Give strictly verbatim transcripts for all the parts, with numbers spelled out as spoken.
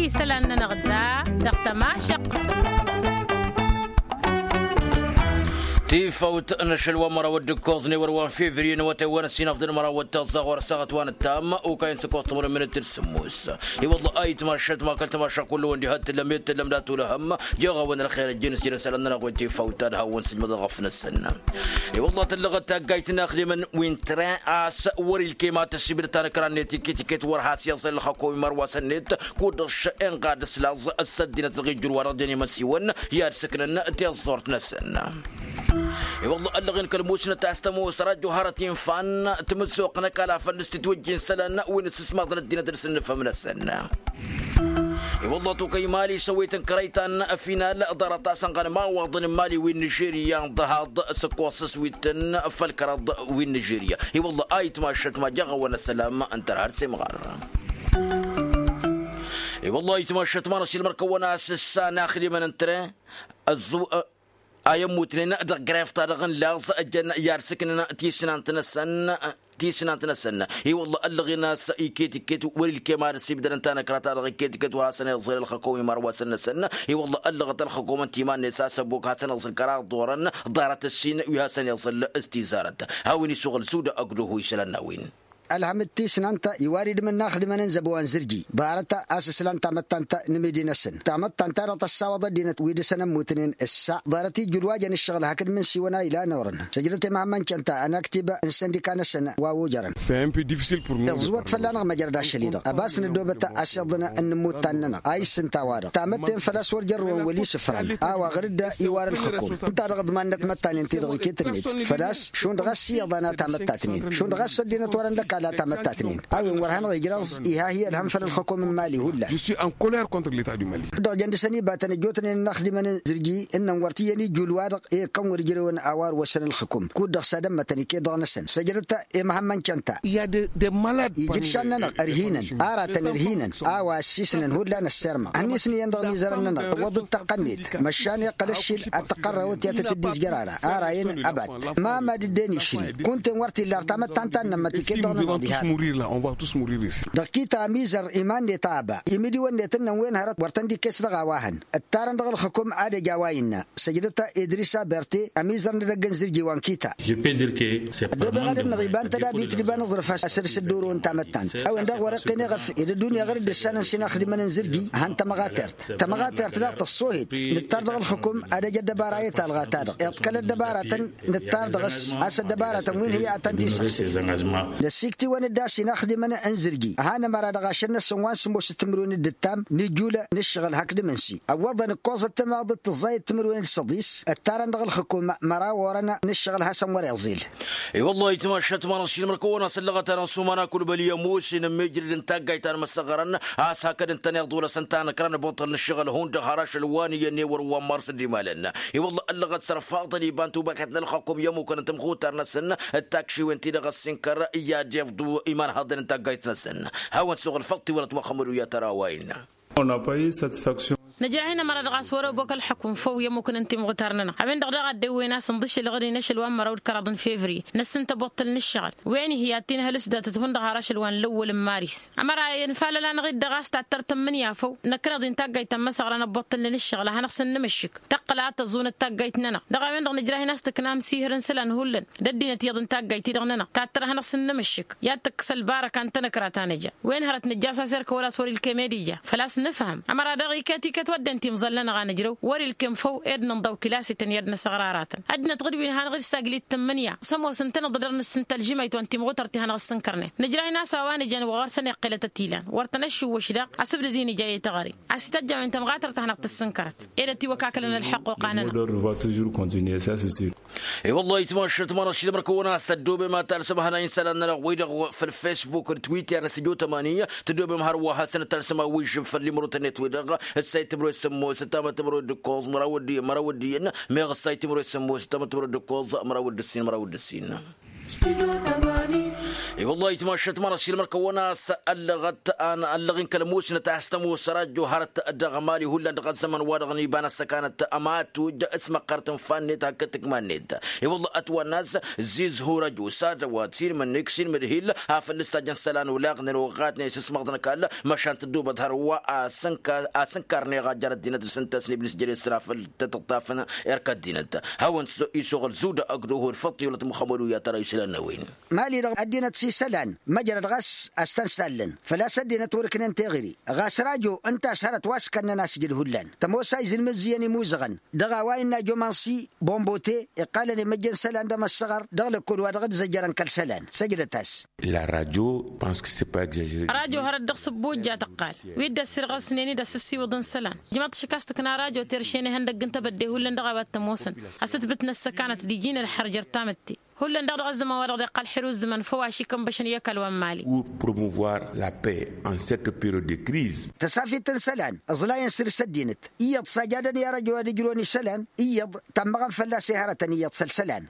Isălan-nănăɣ da dăɣ-tămašăqt. Tifawt n-ašăl wa n-măraw d-ǝkkoẓ n-ewăr wa n-fevriye n-awătay wa n-ăssinăfḍăn măraw d-tăẓẓa ɣur-ăssaɣăt wa n-ăttam okayăn s-ǝkkoẓ timǝrwen minǝt d-sǝmmos. I-wălla a itmašat ma kăl-tamašăq kull-wăn diha t-tǝllăm i-tǝllăm dat-olăhăm jeɣ-awăn ălxer ăjjăn s-jere isălan-nănăɣ wa n-tifawt ad-hawăn-sǝjmăḍăɣ ăfnăsăn. I-wălla tăllăɣăt taggayt n-inaxdimăn wi n-tren a-s wăr-ilkem ad-tăssibdăt tanăkra-net iket-iket wăr has-iẓăl ălxăkom imărwasăn-net kud-dăɣ šănɣa d-ǝslaẓ ăssăddinăt dăɣ-ijjǝr-wa-dăɣ jen imăsiwăn i-ad-sǝknăn tiẓẓurt-năsăn. I-wălla ăllăɣen kăl-musnăt a-s tămoos rajjo hărăt infa n-timǝzzuɣt n-ăkall a făl s-titwăjjin isălan wi n-ǝssǝsmaḍăn ăddinăt d-asǝnnǝfăm-năsăn. I-wălla tokăy imali s-ăwwet n-kărăy ta n-final ḍarăt a-s ănɣănăm awaḍăn n-imali wi n-nižerya n-ḍăhaḍ s-ǝkkoẓ s-wi t-tăn făll-kăraḍ wi n-nižerya. I-wălla a itmašăt ma jăɣ-awăn ăssălam n-tărha d-semɣar. I-wălla a itmašăt ma n-asilmăr kăwăn-as s-anaxdimăn n-tren ăẓẓu a i-ămmutnen dăɣ-gref-ta-dăɣ n-laẓ ăjjăn i-ad-sǝknăn tisnant-năsăn. Tisnant-năsăn i-wălla ăllăɣen a-s iket-iket wăr-ilkem ad-ăsibdădăn tanăkra-ta-dăɣ iket-iket wăr hasăn-iẓẓel ălxăkom imărwasăn-năsăn. I-wălla ăllăɣăt ălxăkom n-timan-net a-s ăbok hasăn-iẓẓel kăraḍ d-orăn ḍarăt ǝssin wi hasăn-iẓẓel s-tizarăt. Hawăn-isuɣǝl suda ăgg-duhu isălan n-a-wen. Ălhăm d-tisnant iwar-idǝm n-inaxdimăn n-zăbo wa n-zǝrji ḍarăt a-s ǝslan tamăttant n-imidi-năsăn tamăttant-ta-dăɣ tăssawăḍ ăddinăt wi dăr-săn ămmutnen ǝssa ḍarăt ijjǝl wa jăn ǝššăɣǝl hakd imǝnsiwăn a ilan orăn săjdăt i-măhămmăn cănta ănaktib n-săndika-năsăn wa ojărăn. Iẓwăt fălla-năɣ măjrăd ašăl-i-dăɣ ăbas năddoobăt asiḍăn n-inǝmmuttan-nănăɣ a issǝnta-wa-dăɣ tamătte n-făl-a-s wăr jărrǝwăn wăl-isǝfran a-wa ɣǝr-dd iwar ǝlxǝkum ǝnta-dăɣ ǝḍmannăt măttanen-ti-dăɣ iket-net făl-a-s šund ɣas iyyăḍ a n-ad-tamăttatnen šund ɣas ăddinăt wărăn d-ăkall ad-tamăttatnen. A-wen wăr hanăɣ-ijrăẓ iha hi-ălhăm făll-ălxăkom n-imali hullan. Dăɣ-jăn dăɣ-săn ibatăn ăjjootnen inaxdimăn n-zǝrji ǝnnăn wăr t-iyyăn ijjul-wa-dăɣ i-ikkăn wăr ǝjrewăn a-wa ărwăsăn ălxǝkum kud-dăɣ s-ad-ămmătăn iket-dăɣ-năsăn săjdăt i-măhămmăn cănta. Ijǝdšan-nănăɣ ărhinăn aratăn ărhinăn a-wa ăssiisnăn hullan ăssirma ănnis n-iyyăn dăɣ-imizărăn-nănăɣ tǝwwăḍ d-tăqqăn-net măšan iqqăl ǝššil ad-tăqqărrăwăt i-ad-tăt-dd-izjăr ara ara iyyăn ăbat ma mad-dd-en išri kunta-en wăr t-illa ar tamăttant ta n-nămmăt iket-dăɣ-nănăɣ diha. Dăɣ-kita amizăr iman-net a ăba imidiwăn-net ǝnnăn wen hărăt wăr tăn-dd-ikkes dăɣ-a-wa hăn ǝttarăn dăɣ-ălxǝkum ad-ăj a-wa innă săjdăt idrisa berte ămizăr n-edăgg n-zǝrji wa n-kita. Ăddoobeɣ ad-ănnăɣ iba n-tădabit d-iba n-aẓrǝf asăr s-ăddoorăwăn tamăttant a-wen daɣ wăr-iqqen eɣăf ed ăddunya ɣăr-dd ǝssanăn s-inaxdimăn n-zǝrji. Han tămɣatert tămɣatert daɣ tăṣṣoohet nǝttar dăɣ-ălxǝkum ad-ăj ăddăbara i-talɣa-ta-dăɣ iḍkăl ăddăbaratăn nǝttar dăɣ-s a-s ăddăbaratăn wi n-hi-atăn d-isăɣsǝl. Năsiktiwăn-dd a-s inaxdimăn n-zǝrji hanămăra dăɣ-ašăl-năsăn wa n-sǝmmos d-timǝrwen d-ǝttam n-ijjul n-ǝššăɣǝl hakd imǝnsi ăwwăḍăn ǝkkoẓăt timaḍăt tǝẓẓayăt timǝrwen d-săḍis ǝttarăn dăɣ-ălxǝkum măraw orăn n-ǝššăɣǝl hasăn wăr-iẓil. I-wăllah itmašat ma n-ašilmăr kăwăn-asăllăɣăt-anăɣ s-umăna kulbăl i-ămoos inǝmmijrǝd n-taggayt ta n-imăsăɣărăn a-s hakd ǝntăneḍ olăsăn tanăkra n-abuṭṭăl n-ǝššăɣǝl hundăɣ har ašăl wa n-iyyăn ewăr wa n-mars d-imalăn. I-wăllah ăllăɣăt sărfaḍăn iba n-tubăket n-ălxăkum i-ămmukăn n-timxutar-năsăn d-takšiwen-ti-dăɣ ăssinkăr i-ad-iḍu imanhăḍăn n-taggayt-năsăn. Hawăn-suɣǝl făṭṭ tiwărăt măxămmăd u-i-ad-tărawayǝn. Nǝjrah-in ămăra dăɣ-a-s wăr-ăbok ălxăkum făw i-ămmukăn n-timɣutar-nănăɣ a-wen-dăɣ daɣ a dd-ewwen a-s ǝnḍǝšǝlăɣ-dd-in ašăl wa n-măraw d-kăraḍ n-fevriye năsǝnta abuṭṭăl n-ǝššăɣǝl. Wen ihi ad-t-inhăl s-datăt hundăɣ har ašăl wa n-lăwwăl n-maris. Ămăra infalăl-anăɣ-dd dăɣ-a-s tattăr tǝmmǝnǝya făw năkk n-iḍ-in taggayt ta n-imăsăɣra n-abuṭṭăl n-ǝššăɣǝl a hanăɣ-săn-nǝmǝššǝk tăqqǝl a tăẓun d-taggayt-nănăɣ. Dăɣ-a-wen-dăɣ nǝjrah-in a-s tǝkna amsihăr n-isălan hullan d-ăddinăt iyyăḍ n-taggayt-ti-dăɣ-nănăɣ tattăr a hanăɣ-săn-nǝmǝššǝk i-ad-tǝkkǝs ălbarăka n-tanăkra ta nǝja. Wen hărăt nǝjja a-s asirkăwăl a-s wăr-ilkem i-ad-ija făl-a-s nǝfhăm ămăra daɣ iket-iket wădden timẓal-nănăɣ a nǝjrăw wăr-ilkem făw ed nǝnḍaw kilas-ităn i-ad-năsăɣraratăn. Ăddinăt ɣǝd-wi n-hanăɣ-dd-saglit tǝmmǝnǝya s-ămoos ǝntăneḍ dăr-nǝssǝnta ălžǝmayt wa n-timɣutăr ti hanăɣ-ăssǝnkărnen nǝjrah-in a-s a-wa nǝjăn wa ɣur-săn iqqǝlăt ătilan wăr tăn-ăššǝwwǝš daɣ. Asǝbdăd-i nǝja i-teɣăre a-s ităjjăwen tămɣatărt ta hanăɣ-tăssǝnkărăt ed ătiwăkakălăn ălḥăqquqa-nănăɣ. I-wăllah itmašat ma n-ašilmăr kăwăn-as tăddoobem ad-talsăm hănay n-isălan-nănăɣ-wi-dăɣ făll-facebook d-twitter n-săjo tămani. Tăddoobem hărwa hasăn-dd-talsăm awižžǝm făll-imrutăn-net-wi-dăɣ ǝssay timǝrwen sămmos ǝttamăt timǝrwen d-ǝkkoẓ măraw d-iyyăn meɣ ǝssay timǝrwen sămmos ǝttamăt timǝrwen d-ǝkkoẓ măraw d-ǝssin măraw d-ǝssin. I-wăllah itmašăt măra s-ilmăr kăwăn-as ăllăɣăt ăllăɣ-in kăl-musnăt a-s tămoos rajo hărăt dăɣ-mali hullan dăɣ-ăzzăman-wa-dăɣ n-iba n-ăssăkanăt ămatuj s-măqqărăt n-fannet hakd tǝkma-net. I-wăllah ătwănn'-as zizhu rajo s-ad-ăwwăt s-ilmǝnnik s-ilmǝdhil a făl ǝstajăn isălan olaɣnen oɣatnen s-ǝsmăɣḍ n-ăkall măšan tǝddubăt hărwa. A-s ǝnkarneɣ a jer-ăddinăt dăr-s ǝnta a-s n-iblis jere s-ra făl tăt-ǝṭṭafăn erk ăddinăt hawăn-t isuɣǝl zuda ăgg-duhu d-făṭṭ i-wălăt muxămmăd u-i-ad-tăra isălan n-a-wen. Mali-dăɣ ăddinăt s-isălan măjrăd ɣas a-s tăn-sallăn făl-a-s ăddinăt wăr-ǝknen teɣăre ɣas rajo ǝnta a-s hărăt wa s-kănnăn asjǝd hullan tămoos a izǝnmǝzzǝyăn imuzăɣăn dăɣ-a-wa innă jomansi bombote iqqalăn imăjjăn isălan d-emăssăɣăr dăɣ-lăkkol wa dăɣ-dd-zăjjărăn kăl-isălan săjdăt-as. La radio pense que cest pas exagere. Rajo hărăt dăɣ-s ăbbojja tăqqal wi dd-ăssirɣăsnen-dd asǝssiwǝḍ n-isălan ǝjmăḍ-t šik a-s tǝkna rajo terše n-ihăndăgg n-tebădde hullan dăɣ-a-wa t-ămoosăn asǝtbǝt n-ăssăkanăt d-iji n-ălxăr jer-tamǝtte. Hullan daɣ dăɣ-ăzzăman-wa-dăɣ dd-iqqal ḥir uzǝman făw ašikăn băšăn i-ăkall wa n-mali. Pour promouvoir la paix en cette période de crise. Tăsafit n-isălan ǝẓlayăn săr-s ăddinăt iyyăḍ s-ajadăn i-arăjo ad-ǝjrǝwăn isălan iyyăḍ tammăɣăn fălla-s i-hărătăn iyyăḍ săl isălan.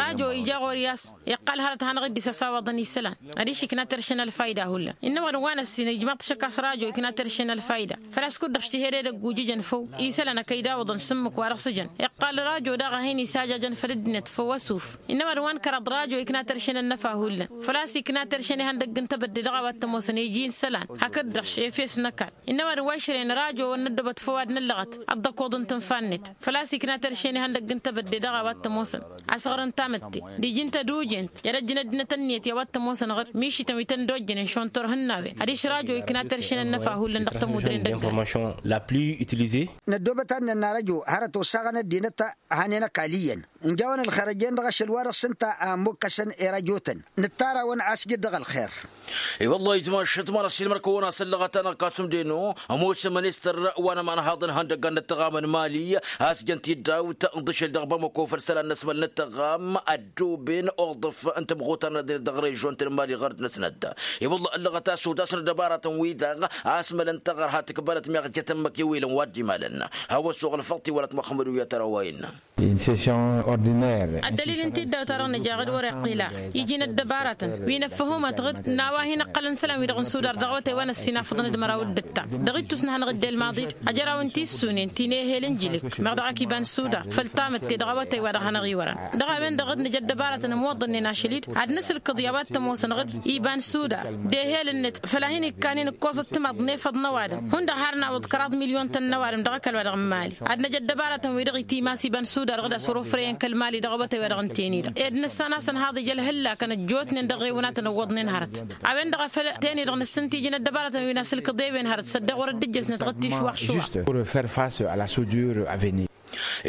Rajo ija ɣur-i a-s iqqal hărăt hanăɣ-dd-isăsawaḍăn isălan adiš ikna terše n-ălfayda hullan. Innă mad-wa n-ăssin ijmaḍ-t šăkk a-s rajo ikna terše n-ălfayda făl-a-s kud-dăɣ s-tiheded ăgguj ǝjăn făw isălan ăkăy dawǝḍăn s-ǝmmǝk wa dăɣ-s ǝjăn iqqal rajo daɣ a hin-isajajăn făll-ăddinăt făw ăsuf. Innă mad-wa n-kăraḍ rajo ikna terše n-ănnăfa hullan făl-a-s ikna terše n-ihăndăgg n-tebădde dăɣ-a-wa t-ămoosăn iji n-isălan hakd-dăɣ efes n-ăkall. Innă mad-wa išrăyăn rajo wăr năddobăt făw ad-năllăɣăt ăḍḍăkoḍ n-tǝnfa-net făl-a-s ikna terše n-ihăndăgg n-tebădde dăɣ-a-wa t-ămoosăn asăɣrăn tamǝtte d-iji n-tădujent i-ad-ăjjǝn ăddinăt ǝnniyăt i-a-wa t-ămoosăn ɣǝr mišităn wi tăn-dd-ojjănen šund turhǝnnawen adiš rajo ikna terše n-ănnăfa hullan dăɣ-tămudre n-dăgg-ănn. La plus utilisée. Năddoobăt ad-nănna rajo hărăt osaɣăn ăddinăt hanen ăkall iyyăn ǝnjawăn ălxer ăjjeen dăɣ-ašăl wa dăɣ-s ǝnta a ămmukkăsăn i-rajotăn nǝttarawăn asjǝd dăɣ-ălxer. I-wăllah itmašăt ma n-ăssiilmăr-kăwăn-as ăllăɣăt-anăɣ kasum deno ămoos ministăr wa n-ămanhaḍ n-ihăndăgg ad-nǝttăɣam n-mali a-s jăn tiddawt n-iḍǝšel dăɣ-bamăko făll-isălan n-asmăl n-ǝttăɣam ăddooben uḍǝf n-tamɣutar n-ad-dăɣ režon-tăn n-mali ɣur-dd-năsnăt. I-wăllah ăllăɣăt a-s odašăn ăddăbaratăn-wi-dăɣ a-s mălăn taɣărha tǝkbalăt meɣ jăt ǝmmǝk i-wilăn wa dd-imalăn. Hawăn-suɣǝl făḍt i-wălăt muxămmăd u-i-ad-tărawăyăn. Une session ordinaire. Ăddălil n-tiddawt-ta-dăɣ nǝja ɣǝd wăr-iqqǝl a iji n-ăddăbaratăn wi n-ăffăhumăt ɣǝd n-a-wa hin-ǝqqălăn isălan-wi-dăɣ n-sudar dăɣ-awătay wa n-ăssinafăḍăn d-măraw d-ǝttam dăɣ-ittus n-ad-hanăɣ-dd-elmaḍ-dd ajăraw n-tissunen ti n-ehel n-jilǝk meɣ dăɣ-ak iba n-sudar făll-tamǝtte dăɣ-awătay wa dăɣ-hanăɣ-iwărăn. Dăɣ-a-wen-dăɣ dd-nǝj ăddăbaratăn ămwăḍănnen ašăl-dd ad-nǝsǝlkǝḍ i-a-wa t-ămoosăn ɣǝd iba n-sudar d-ehel-net făll-a hin-ikkanen ǝkkoẓăt timaḍ n-efăḍ n-ăwadǝm hundăɣ har n-awǝḍ kăraḍ milyon-tăn n-ăwadǝm dăɣ-ăkall wa dăɣ-n mali ad-năj ăddăbaratăn-wi-dăɣ itimas iba n-sudar ɣǝd a-s wăr-ofrăyăn kăl-mali dăɣ-awătay wa dăɣ-n-tenidăɣ ed nǝssan a-s ănhaḍ ija ălhǝllakăn ăjjootnen dăɣ-ewǝnatăn ǝwwăḍnen hărăt. A-wen-dăɣ a făl tenidăɣ nǝssǝnt iji n-ăddăbaratăn wi n-asǝlkǝḍ ewen hărăt s-ăddeɣ wăr-dd-ǝjjăsnăt ɣǝd tišwax šuwax. Juste pour faire face à la soudure à venir.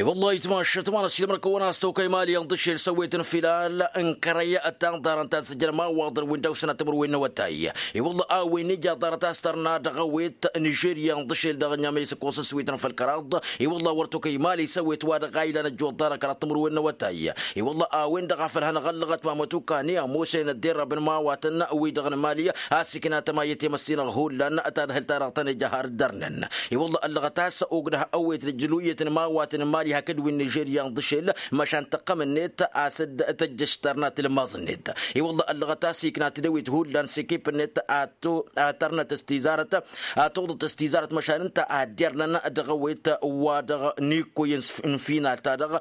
I-wăllah itmašăt ma n-ăssiilmăr-kăwăn a-s tokăy mali ănḍǝšel s-ăwwet n-filal n-kărăy ăttanḍarăn ta s-ǝjrăm awaḍăn wi n-dăɣ-sănat timǝrwen n-awătay. I-wăllah a-wen ija ḍarăt a-s tărna dăɣ-ăwwet nižerya ănḍǝšel dăɣ-ănyameys ǝkkoẓ s-ǝswităn făll-kăraḍ. I-wăllah wăr tokăy mali s-ăwwet wa dăɣ-a ilan ăjjoḍ ḍarăt kăraḍ timǝrwen n-awătay. I-wăllah a-wen-dăɣ a făl hanăɣ-ăllăɣăt mamăt ukani ămoosăyăn ădderrăbăn mawatăn wi-dăɣ n-mali a-s ikna tămayăt i-măssinăɣ hullan tadhǝlt-ta-dăɣ tăn-ija har ǝddărnen. I-wălla ăllăɣăt a-s ogdăh ăwwet d-ǝjjǝluyăt n-imawatăn n-mali hakd wi n-nižerya n-iḍǝšel măšan tăqqăm-net a-s dd-tăjjăš tărna tilmaẓ-net. I-wălla ăllăɣăt a-s ikna tedăwit hullan s-ekip-net ad-tărnăt s-tizarăt ad-tuḍăt s-tizarăt măšan ǝnta ad-dd-irnăn dăɣ-ăwwet wa dăɣ-nikkoyăn n-final-ta-dăɣ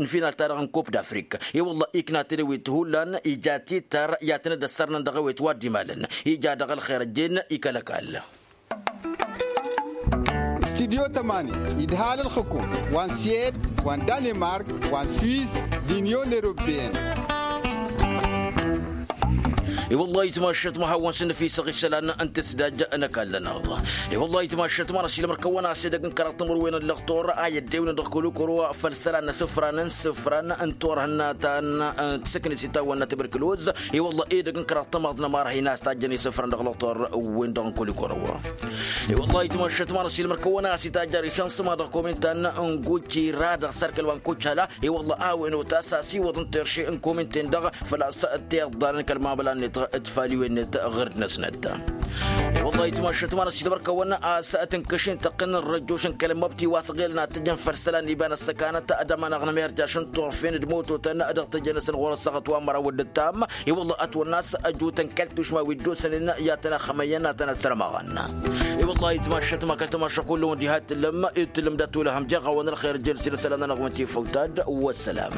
n-final-ta-dăɣ n-kup d-afrik. I-wălla ikna tedăwit hullan ija tităr i-ad-tăn-dd-ăssărnăn dăɣ-ewet wa dd-imalăn ija dăɣ-ălxer ăjjeen ikăl ăkall. Studyo tămani idhal ălxǝkum wa n-sued wa n-danimark wa n-suis d-inyon europeen. I-wălla itmašăt ma hawăn-sǝnnǝfisăɣ isălan n-tǝsdaj n-ăkall-nănăɣ. I-wălla itmašăt ma n-ăsilmăr-kăwăn-as edăgg n-kăraḍ timǝrwen n-lăxtur a i-ăddewnen dăɣ-kăl-ukăro făll-isălan n-asǝfran n-isǝfran n-turhǝnna ta n-tǝsǝknet itawănna tibărkǝloz. I-wălla edăgg n-kăraḍ tămaḍ n-ămarhăyna a-s tajjăn isǝfran dăɣ-lăxtur wen-dăɣ n-kăl-ukăro. I-wălla itmašăt ma n-ăsilmăr-kăwăn-as itajjăr isăn s-ma dăɣ-komintan n-gucira dăɣ-sărkăl wa n-kucala. I-wălla a-wen otas asiwăḍ n-terše n-kominten-dăɣ făl-a-s tiḍḍalăn kăl-mamăla-net d-faliwen-net ɣer d-năsnăt. I-wăllah itmašăt ma n-asidăbăr kăwăn a-s tǝnkăšin tăqqǝn n-răjjoš n-kăl-măbti wa s-ɣelăn ad-tǝjăn făll-isălan n-iba n-ăssăkanăt ad-ămanăɣ n-emerjaš n-turfen d-mototăn dăɣ-tejănăsăn ɣur-ăssaɣăt wa n-măraw d-ǝttam. I-wăllah ătwănna a-s ăjutăn kăl-tušma wi dd-osănen i-ad-tăn-ăxxămăyyăn ad-tăn-ăssărmăɣăn. I-wăllah itmašăt ma kăl-tamašăɣ kullăwăn diha t-tǝllăm i-tǝllăm dat-olăhăm jer-ɣawăn ălxer jer-s-i n-isălan-nănăɣ wăn tifăwt-ad-wăssălam.